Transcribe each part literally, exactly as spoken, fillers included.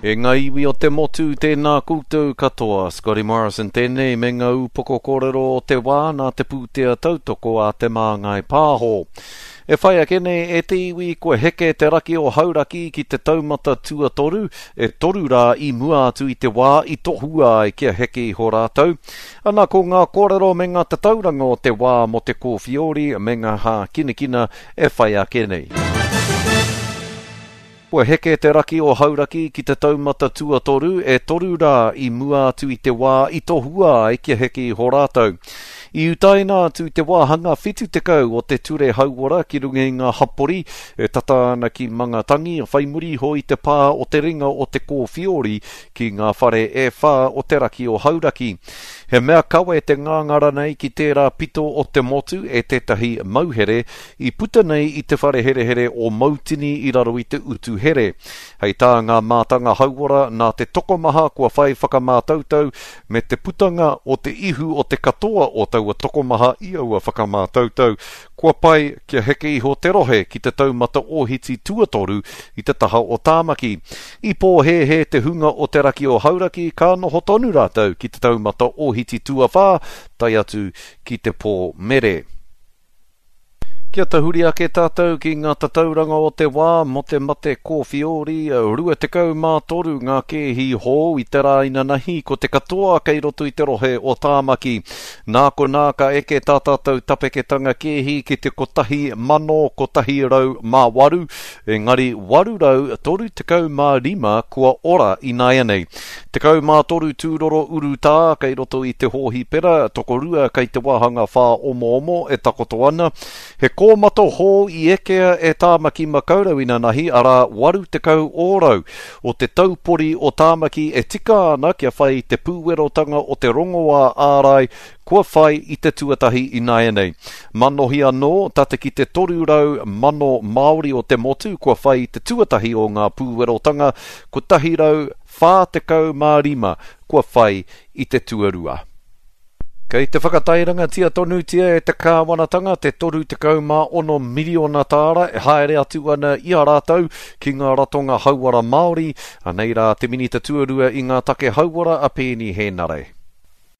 E ngā iwi o te motu, tēnā koutou katoa. Scotty Morrison tēnei me ngā upoko kōrero o te wā nā te pūtea tautoko a Te Māngai Pāho. E whai ake nei e te iwi kua heke te raki o Hauraki ki te taumata tuatoru, e toru rā i mua atu i te wā i tohua ai kia heke iho rātou. Ana ko ngā kōrero me ngā tatauranga o te wā mō te kōwhiori me ngā hākinakina e whai ake nei. Kua heke te raki o Hauraki ki te taumata tuatoru e toru rā i mua atu i te wā i tohua ai kia heke iho rātou. I utaina atu te wāhanga whitu tekau o te ture hauora ki runga i ngā hapori e tata ana ki Mangatangi whai muri iho i te pā o te ringa o te kōwhiori ki ngā whare e whā o te raki o Hauraki. He mea kawe te ngāngara nei ki tērā pito o te motu e tētahi mauhere i puta nei i te whare herehere o Mautini i raro i te utu here. Hei tā ngā mātanga hauora nā te tokomaha kua whai whakamātautau me te putanga o te ihu o te katoa o taua tokomaha i aua whakamātautau. Kua pai kia heke iho te rohe ki te taumata ohiti tuatoru i te taha o Tāmaki. I pōhēhē te hunga o te raki o Hauraki ka noho tonu rātou ki te taumata ohiti tuawhā tae atu ki te pō mere. Kia tahuri ake tātou ki ngā tatauranga o te wā mō te mate kōwhiori, rua tekau mā toru ngā kēhi hou i te rā inanahi ko te katoa kei roto i te rohe o Tāmaki. Nā konā ka eke tā tātou tapeketanga kēhi ki te kotahi mano kotahi rau mā waru, engari waru rau toru tekau mā rima kua ora ināianei. Tekau mā toru tūroro urutā kei roto i te hōhipera, tokorua kei te wāhanga whāomoomo e takoto ana. He kōmato hou i ekea e Tāmaki Makaurau inanahi, arā waru tekau ōrau o te taupori o Tāmaki e tika ana kia whai i te pūwerotanga o te rongoā ārai kua whai i te tuatahi ināianei. Manohi anō, tata ki te toru rau mano Māori o te motu kua whai i te tuatahi o ngā pūwerotanga, kotahi rau whā tekau mā rima kua whai i te tuarua. Kei te whakatairangatia tonutia e te kāwanatanga te toru tekau mā ono miriona tāra e haere atu ana i a rātou ki ngā ratonga hauora Māori, anei rā te minita tuarua i ngā take hauora a Peeni Henare.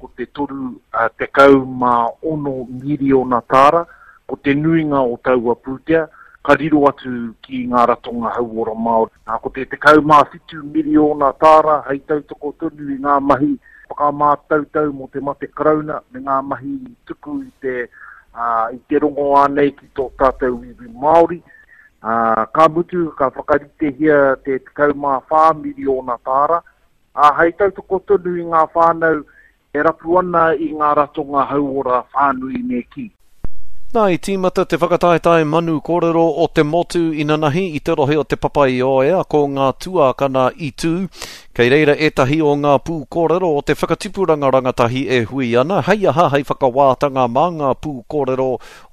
Ko te toru tekau mā ono miriona tāra, ko te nuinga o taua pūtea, ka riro atu ki ngā ratonga hauora Māori. Nā, ko te tekau mā whitu miriona tāra hei tautoko tonu i ngā mahi whakamātautau mō te mate karauna me ngā mahi tuku i te, uh, i te rongoā nei ki tō tātou iwi Māori. Uh, ka mutu, ka whakaritehia te tekau mā whā miriona tāra. Uh, hei tautoko tonu i ngā whānau e rapu ana i ngā ratonga hauora whānui me ki. Nā, i tīmata te whakataetae manu kōrero o te motu inanahi i te rohe o te Papaioea ko ngā tuākana i tū. Kei reira ētahi o ngā pū kōrero o te whakatipuranga rangatahi e hui ana, hei aha hei whakawātanga mā ngā pū kōrero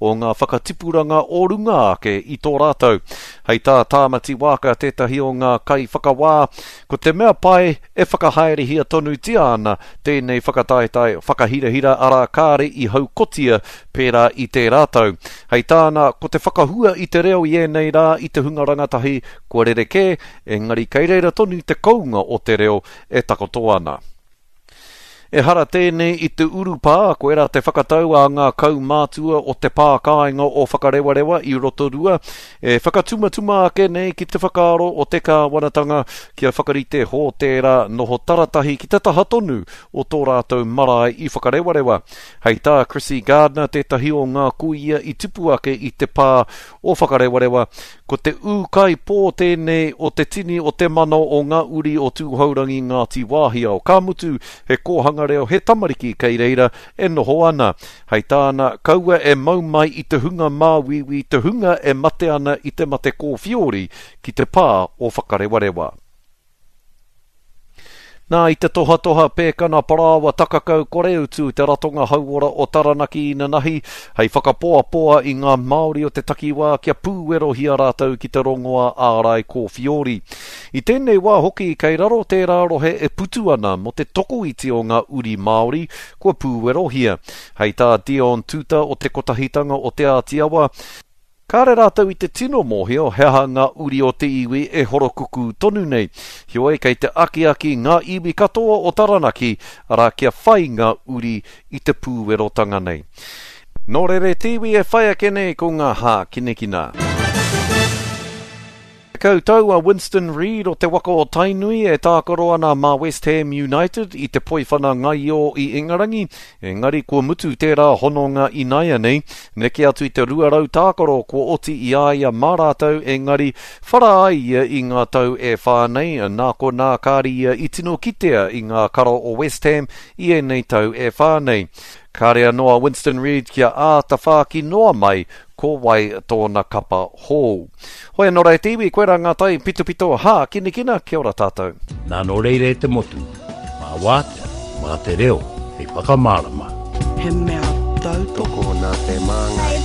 o ngā whakatipuranga o runga ake i tō rātou. Hei tā Tāmati Wāka tētahi o ngā kaiwhakawā, ko te mea pai e whakahaerehia tonutia ana tēnei whakataetae whakahirahira arā kāre i haukotia pērā i tērā tau. Hei tāna, ko te whakahua i te reo i ēnei rā i te hunga rangatahi kua rerekē, engari kei reira tonu te kounga o te reo e takoto ana. Ehara tēnei i te urupā, koirā te whakatau a ngā kaumātua o te pā kāinga o Whakarewarewa i Rotorua, e whakatumatuma ake nei ki te whakaaro o te kāwanatanga kia whakarite hōtēra noho taratahi ki te taha tonu o tō rātou marae i Whakarewarewa. Hei tā Chrissy Gardner tētahi o ngā kuia i tipu ake i te pā o Whakarewarewa, ko te ūkaipō tēnei o te tini o te mano o ngā uri o Tūhourangi Ngāti Wāhiao. Ka mutu, he kōhanga reo he tamariki kei reira e noho ana. Hei tāna, kaua e mau mai i te hunga māuiui, te hunga e mate ana i te mate kōwhiori ki te pā o Whakarewarewa. Nā, i te tohatoha pēkana parāoa takakau koreutu te ratonga hauora o Taranaki inanahi, hei whakapoapoa i ngā Māori o te takiwā kia pūwerohia rātou ki te rongoā ārai kōwhiori. I tēnei wā hoki, kei raro tērā rohe e putu ana mō te tokoiti o ngā uri Māori kua pūwerohia. Hei tā Dion Tuta o te Kotahitanga o Te Āti Awa, Kāre rātou i te tino mōhio he aha ngā uri o te iwi e horokukū tonu nei. Heoi, kei te akiaki ngā iwi katoa o Taranaki, arā kia whai ngā uri i te pūwerotanga nei. Nō reira te iwi e whai ake nei ko ngā hākinakina. Tekau tau a Winston Reid o te waka o Tainui e tākaro ana mā West Ham United i te poiwhana ngaio i Ingarangi, engari kua mutu tērā hononga inaianei, neke atu i te rua rau tākaro kua oti i a ia mā rātou, engari whara ai ia i ngā tau e whā nei, nā konā kāre ia i tino kitea i ngā kara o West Ham i ēnei tau e whā nei. Kāre anō a Winston Reid kia āta whāki noa mai ko wai tōna kapa hou. Hoi anō rā e te iwi, koirā ngā tai pitopito hākinakina, kia ora tātou. Nā nō reira e te motu, mā wātea, mā te reo, hei whakamārama. He mea tautoko. Tokona te māngai.